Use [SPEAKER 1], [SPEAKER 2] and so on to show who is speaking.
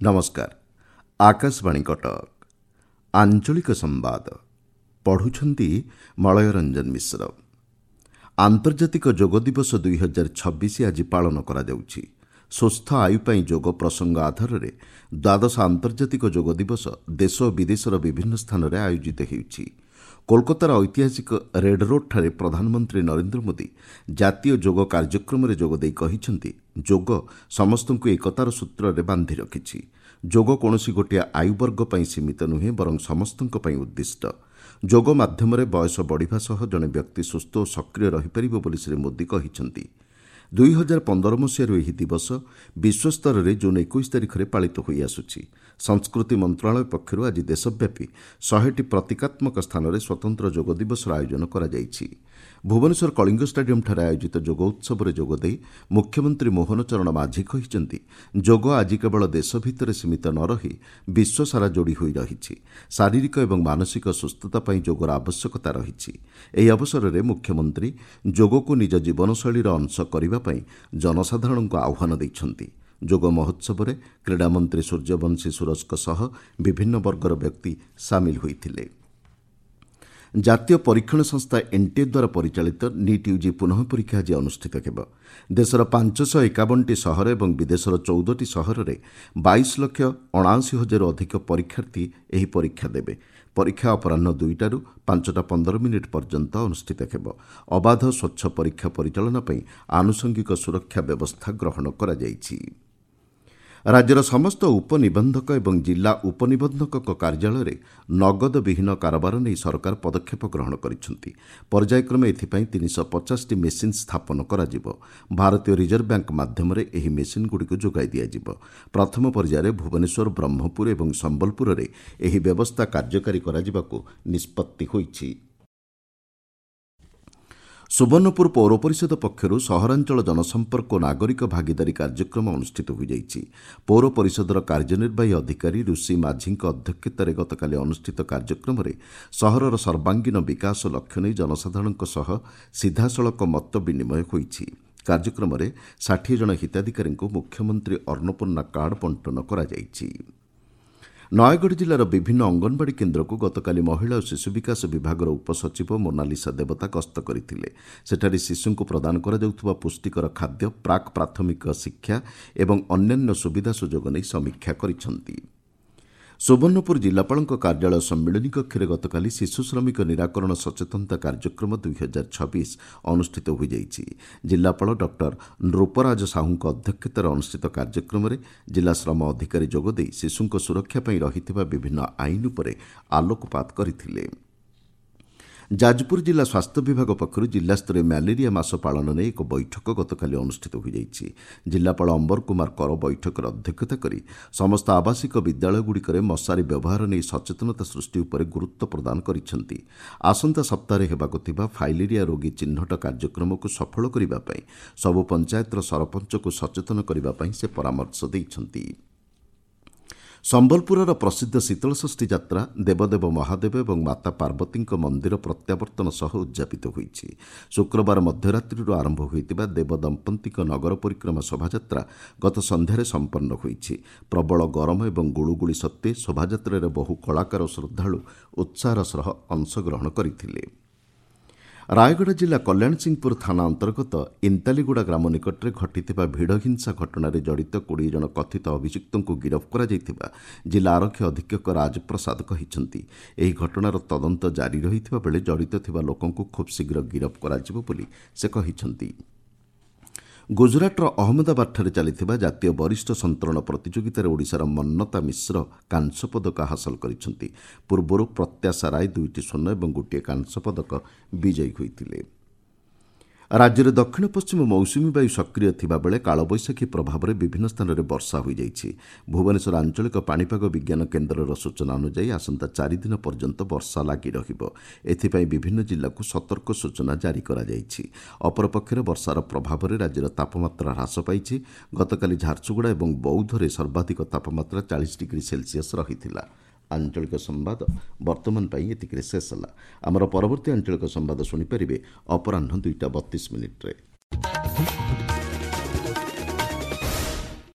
[SPEAKER 1] ନମସ୍କାର, ଆକାଶବାଣୀ କଟକ। ଆଞ୍ଚଳିକ ସମ୍ବାଦ ପଢ଼ୁଛନ୍ତି ମଳୟ ରଞ୍ଜନ ମିଶ୍ର। ଆନ୍ତର୍ଜାତିକ ଯୋଗ ଦିବସ 2026 ଆଜି ପାଳନ କରାଯାଉଛି। ସୁସ୍ଥ ଆୟୁ ପାଇଁ ଯୋଗ ପ୍ରସଙ୍ଗ ଆଧାରରେ ଦ୍ୱାଦଶ ଆନ୍ତର୍ଜାତିକ ଯୋଗ ଦିବସ ଦେଶ ଓ ବିଦେଶର ବିଭିନ୍ନ ସ୍ଥାନରେ ଆୟୋଜିତ ହେଉଛି। କୋଲକାତାର ଐତିହାସିକ ରେଡ୍ ରୋଡ୍ଠାରେ ପ୍ରଧାନମନ୍ତ୍ରୀ ନରେନ୍ଦ୍ର ମୋଦି ଜାତୀୟ ଯୋଗ କାର୍ଯ୍ୟକ୍ରମରେ ଯୋଗଦେଇ କହିଛନ୍ତି, ଯୋଗ ସମସ୍ତଙ୍କୁ ଏକତାର ସୂତ୍ରରେ ବାନ୍ଧି ରଖିଛି। ଯୋଗ କୌଣସି ଗୋଟିଏ ଆୟୁବର୍ଗ ପାଇଁ ସୀମିତ ନୁହେଁ, ବରଂ ସମସ୍ତଙ୍କ ପାଇଁ ଉଦ୍ଦିଷ୍ଟ। ଯୋଗ ମାଧ୍ୟମରେ ବୟସ ବଢ଼ିବା ସହ ଜଣେ ବ୍ୟକ୍ତି ସୁସ୍ଥ ଓ ସକ୍ରିୟ ରହିପାରିବ ବୋଲି ଶ୍ରୀ ମୋଦି କହିଛନ୍ତି। 2015 ମସିହାରୁ ଏହି ଦିବସ ବିଶ୍ୱସ୍ତରରେ ଜୁନ୍ 21 ତାରିଖରେ ପାଳିତ ହୋଇଆସୁଛି। ସଂସ୍କୃତି ମନ୍ତ୍ରଣାଳୟ ପକ୍ଷରୁ ଆଜି ଦେଶବ୍ୟାପୀ 100ଟି ପ୍ରତୀକାତ୍ମକ ସ୍ଥାନରେ ସ୍ୱତନ୍ତ୍ର ଯୋଗ ଦିବସର ଆୟୋଜନ କରାଯାଇଛି। ଭୁବନେଶ୍ୱର କଳିଙ୍ଗ ଷ୍ଟାଡିୟମ୍ଠାରେ ଆୟୋଜିତ ଯୋଗ ଉତ୍ସବରେ ଯୋଗଦେଇ ମୁଖ୍ୟମନ୍ତ୍ରୀ ମୋହନ ଚରଣ ମାଝୀ କହିଛନ୍ତି, ଯୋଗ ଆଜି କେବଳ ଦେଶ ଭିତରେ ସୀମିତ ନ ରହି ବିଶ୍ୱସାରା ଯୋଡ଼ି ହୋଇ ରହିଛି। ଶାରୀରିକ ଏବଂ ମାନସିକ ସୁସ୍ଥତା ପାଇଁ ଯୋଗର ଆବଶ୍ୟକତା ରହିଛି। ଏହି ଅବସରରେ ମୁଖ୍ୟମନ୍ତ୍ରୀ ଯୋଗକୁ ନିଜ ଜୀବନଶୈଳୀର ଅଂଶ କରିବା ପାଇଁ ଜନସାଧାରଣଙ୍କୁ ଆହ୍ୱାନ ଦେଇଛନ୍ତି। ଯୋଗ ମହୋତ୍ସବରେ କ୍ରୀଡ଼ାମନ୍ତ୍ରୀ ସୂର୍ଯ୍ୟବଂଶୀ ସୁରଜଙ୍କ ସହ ବିଭିନ୍ନ ବର୍ଗର ବ୍ୟକ୍ତି ସାମିଲ ହୋଇଥିଲେ। ଜାତୀୟ ପରୀକ୍ଷଣ ସଂସ୍ଥା ଏନ୍ଟିଏ ଦ୍ୱାରା ପରିଚାଳିତ ନିଟ୍ ୟୁଜି ପୁନଃ ପରୀକ୍ଷା ଆଜି ଅନୁଷ୍ଠିତ ହେବ। ଦେଶର 551ଟି ସହର ଏବଂ ବିଦେଶର 14ଟି ସହରରେ 22,79,000ରୁ ଅଧିକ ପରୀକ୍ଷାର୍ଥୀ ଏହି ପରୀକ୍ଷା ଦେବେ। ପରୀକ୍ଷା ଅପରାହ୍ନ 2ଟାରୁ 5ଟା 15 ମିନିଟ୍ ପର୍ଯ୍ୟନ୍ତ ଅନୁଷ୍ଠିତ ହେବ। ଅବାଧ ସ୍ୱଚ୍ଛ ପରୀକ୍ଷା ପରିଚାଳନା ପାଇଁ ଆନୁଷଙ୍ଗିକ ସୁରକ୍ଷା ବ୍ୟବସ୍ଥା ଗ୍ରହଣ କରାଯାଇଛି। ରାଜ୍ୟର ସମସ୍ତ ଉପନିବନ୍ଧକ ଏବଂ ଜିଲ୍ଲା ଉପନିବନ୍ଧକଙ୍କ କାର୍ଯ୍ୟାଳୟରେ ନଗଦ ବିହୀନ କାରବାର ନେଇ ସରକାର ପଦକ୍ଷେପ ଗ୍ରହଣ କରିଛନ୍ତି। ପର୍ଯ୍ୟାୟକ୍ରମେ ଏଥିପାଇଁ 350ଟି ମେସିନ୍ ସ୍ଥାପନ କରାଯିବ। ଭାରତୀୟ ରିଜର୍ଭ ବ୍ୟାଙ୍କ ମାଧ୍ୟମରେ ଏହି ମେସିନ୍ଗୁଡ଼ିକୁ ଯୋଗାଇ ଦିଆଯିବ। ପ୍ରଥମ ପର୍ଯ୍ୟାୟରେ ଭୁବନେଶ୍ୱର, ବ୍ରହ୍ମପୁର ଏବଂ ସମ୍ବଲପୁରରେ ଏହି ବ୍ୟବସ୍ଥା କାର୍ଯ୍ୟକାରୀ କରାଯିବାକୁ ନିଷ୍ପତ୍ତି ହୋଇଛି। ସୁବର୍ଣ୍ଣପୁର ପୌର ପରିଷଦ ପକ୍ଷରୁ ସହରାଞ୍ଚଳ ଜନସମ୍ପର୍କ ଓ ନାଗରିକ ଭାଗିଦାରୀ କାର୍ଯ୍ୟକ୍ରମ ଅନୁଷ୍ଠିତ ହୋଇଯାଇଛି। ପୌର ପରିଷଦର କାର୍ଯ୍ୟନିର୍ବାହୀ ଅଧିକାରୀ ଋଷି ମାଝୀଙ୍କ ଅଧ୍ୟକ୍ଷତାରେ ଗତକାଲି ଅନୁଷ୍ଠିତ କାର୍ଯ୍ୟକ୍ରମରେ ସହରର ସର୍ବାଙ୍ଗୀନ ବିକାଶ ଲକ୍ଷ୍ୟ ନେଇ ଜନସାଧାରଣଙ୍କ ସହ ସିଧାସଳଖ ମତ ବିନିମୟ ହୋଇଛି। କାର୍ଯ୍ୟକ୍ରମରେ 60 ଜଣ ହିତାଧିକାରୀଙ୍କୁ ମୁଖ୍ୟମନ୍ତ୍ରୀ ଅନ୍ନପୂର୍ଣ୍ଣା କାର୍ଡ ବଣ୍ଟନ କରାଯାଇଛି। ନୟାଗଡ଼ ଜିଲ୍ଲାର ବିଭିନ୍ନ ଅଙ୍ଗନବାଡ଼ି କେନ୍ଦ୍ରକୁ ଗତକାଲି ମହିଳା ଓ ଶିଶୁ ବିକାଶ ବିଭାଗର ଉପସଚିବ ମୋନାଲିସା ଦେବତା ଗସ୍ତ କରିଥିଲେ। ସେଠାରେ ଶିଶୁଙ୍କୁ ପ୍ରଦାନ କରାଯାଉଥିବା ପୁଷ୍ଟିକର ଖାଦ୍ୟ, ପ୍ରାକ୍ ପ୍ରାଥମିକ ଶିକ୍ଷା ଏବଂ ଅନ୍ୟାନ୍ୟ ସୁବିଧା ସୁଯୋଗ ନେଇ ସମୀକ୍ଷା କରିଛନ୍ତି। ସୁବର୍ଣ୍ଣପୁର ଜିଲ୍ଲାପାଳଙ୍କ କାର୍ଯ୍ୟାଳୟ ସମ୍ମିଳନୀ କକ୍ଷରେ ଗତକାଲି ଶିଶୁ ଶ୍ରମିକ ନିରାକରଣ ସଚେତନତା କାର୍ଯ୍ୟକ୍ରମ 2026 ଅନୁଷ୍ଠିତ ହୋଇଯାଇଛି। ଜିଲ୍ଲାପାଳ ଡକ୍ଟର ନୃପରାଜ ସାହୁଙ୍କ ଅଧ୍ୟକ୍ଷତାରେ ଅନୁଷ୍ଠିତ କାର୍ଯ୍ୟକ୍ରମରେ ଜିଲ୍ଲା ଶ୍ରମ ଅଧିକାରୀ ଯୋଗଦେଇ ଶିଶୁଙ୍କ ସୁରକ୍ଷା ପାଇଁ ରହିଥିବା ବିଭିନ୍ନ ଆଇନ ଉପରେ ଆଲୋକପାତ କରିଥିଲେ। ଯାଜପୁର ଜିଲ୍ଲା ସ୍ୱାସ୍ଥ୍ୟ ବିଭାଗ ପକ୍ଷରୁ ଜିଲ୍ଲାସ୍ତରୀୟ ମ୍ୟାଲେରିଆ ମାସ ପାଳନ ନେଇ ଏକ ବୈଠକ ଗତକାଲି ଅନୁଷ୍ଠିତ ହୋଇଯାଇଛି। ଜିଲ୍ଲାପାଳ ଅମ୍ବର କୁମାର କର ବୈଠକରେ ଅଧ୍ୟକ୍ଷତା କରି ସମସ୍ତ ଆବାସିକ ବିଦ୍ୟାଳୟଗୁଡ଼ିକରେ ମଶାରୀ ବ୍ୟବହାର ନେଇ ସଚେତନତା ସୃଷ୍ଟି ଉପରେ ଗୁରୁତ୍ୱ ପ୍ରଦାନ କରିଛନ୍ତି। ଆସନ୍ତା ସପ୍ତାହରେ ହେବାକୁ ଥିବା ଫାଇଲେରିଆ ରୋଗୀ ଚିହ୍ନଟ କାର୍ଯ୍ୟକ୍ରମକୁ ସଫଳ କରିବା ପାଇଁ ସବୁ ପଞ୍ଚାୟତର ସରପଞ୍ଚଙ୍କୁ ସଚେତନ କରିବା ପାଇଁ ସେ ପରାମର୍ଶ ଦେଇଛନ୍ତି। ସମ୍ବଲପୁରର ପ୍ରସିଦ୍ଧ ଶୀତଳଷଷ୍ଠୀ ଯାତ୍ରା ଦେବଦେବ ମହାଦେବ ଏବଂ ମାତା ପାର୍ବତୀଙ୍କ ମନ୍ଦିର ପ୍ରତ୍ୟାବର୍ତ୍ତନ ସହ ଉଦ୍ଯାପିତ ହୋଇଛି। ଶୁକ୍ରବାର ମଧ୍ୟରାତ୍ରିରୁ ଆରମ୍ଭ ହୋଇଥିବା ଦେବଦମ୍ପତିଙ୍କ ନଗର ପରିକ୍ରମା ଶୋଭାଯାତ୍ରା ଗତ ସନ୍ଧ୍ୟାରେ ସମ୍ପନ୍ନ ହୋଇଛି। ପ୍ରବଳ ଗରମ ଏବଂ ଗୁଳୁଗୁଳି ସତ୍ତ୍ୱେ ଶୋଭାଯାତ୍ରାରେ ବହୁ କଳାକାର ଓ ଶ୍ରଦ୍ଧାଳୁ ଉତ୍ସାହର ସହ ଅଂଶଗ୍ରହଣ କରିଥିଲେ। ରାୟଗଡ଼ା ଜିଲ୍ଲା କଲ୍ୟାଣସିଂହପୁର ଥାନା ଅନ୍ତର୍ଗତ ଇନ୍ତାଲିଗୁଡ଼ା ଗ୍ରାମ ନିକଟରେ ଘଟିଥିବା ଭିଡ଼ହିଂସା ଘଟଣାରେ ଜଡ଼ିତ 20 ଜଣ କଥିତ ଅଭିଯୁକ୍ତଙ୍କୁ ଗିରଫ କରାଯାଇଥିବା ଜିଲ୍ଲା ଆରକ୍ଷୀ ଅଧୀକ୍ଷକ ରାଜପ୍ରସାଦ କହିଛନ୍ତି। ଏହି ଘଟଣାର ତଦନ୍ତ ଜାରି ରହିଥିବା ବେଳେ ଜଡ଼ିତ ଥିବା ଲୋକଙ୍କୁ ଖୁବ୍ ଶୀଘ୍ର ଗିରଫ କରାଯିବ ବୋଲି ସେ କହିଛନ୍ତି। ଗୁଜରାଟର ଅହମ୍ମଦାବାଦଠାରେ ଚାଲିଥିବା ଜାତୀୟ ବରିଷ୍ଠ ସନ୍ତରଣ ପ୍ରତିଯୋଗିତାରେ ଓଡ଼ିଶାର ମନ୍ନତା ମିଶ୍ର କାଂସ୍ୟ ପଦକ ହାସଲ କରିଛନ୍ତି। ପୂର୍ବରୁ ପ୍ରତ୍ୟାଶା ରାୟ 2ଟି ସ୍ୱର୍ଣ୍ଣ ଏବଂ ଗୋଟିଏ କାଂସ୍ୟ ପଦକ ବିଜୟୀ ହୋଇଥିଲେ। ରାଜ୍ୟରେ ଦକ୍ଷିଣ ପଶ୍ଚିମ ମୌସୁମୀ ବାୟୁ ସକ୍ରିୟ ଥିବାବେଳେ କାଳବୈଶାଖୀ ପ୍ରଭାବରେ ବିଭିନ୍ନ ସ୍ଥାନରେ ବର୍ଷା ହୋଇଯାଇଛି। ଭୁବନେଶ୍ୱର ଆଞ୍ଚଳିକ ପାଣିପାଗ ବିଜ୍ଞାନ କେନ୍ଦ୍ରର ସୂଚନା ଅନୁଯାୟୀ ଆସନ୍ତା 4 ଦିନ ପର୍ଯ୍ୟନ୍ତ ବର୍ଷା ଲାଗି ରହିବ। ଏଥିପାଇଁ ବିଭିନ୍ନ ଜିଲ୍ଲାକୁ ସତର୍କ ସୂଚନା ଜାରି କରାଯାଇଛି। ଅପରପକ୍ଷରେ ବର୍ଷାର ପ୍ରଭାବରେ ରାଜ୍ୟର ତାପମାତ୍ରା ହ୍ରାସ ପାଇଛି। ଗତକାଲି ଝାରସୁଗୁଡ଼ା ଏବଂ ବୌଦ୍ଧରେ ସର୍ବାଧିକ ତାପମାତ୍ରା 40 ଡିଗ୍ରୀ ସେଲସିୟସ୍ ରହିଥିଲା। ଆଞ୍ଚଳିକ ସମ୍ବାଦ ବର୍ତ୍ତମାନ ପାଇଁ ଏତିକିରେ ଶେଷ ହେଲା। ଆମର ପରବର୍ତ୍ତୀ ଆଞ୍ଚଳିକ ସମ୍ବାଦ ଶୁଣିପାରିବେ ଅପରାହ୍ନ 2ଟା 32 ମିନିଟ୍ରେ।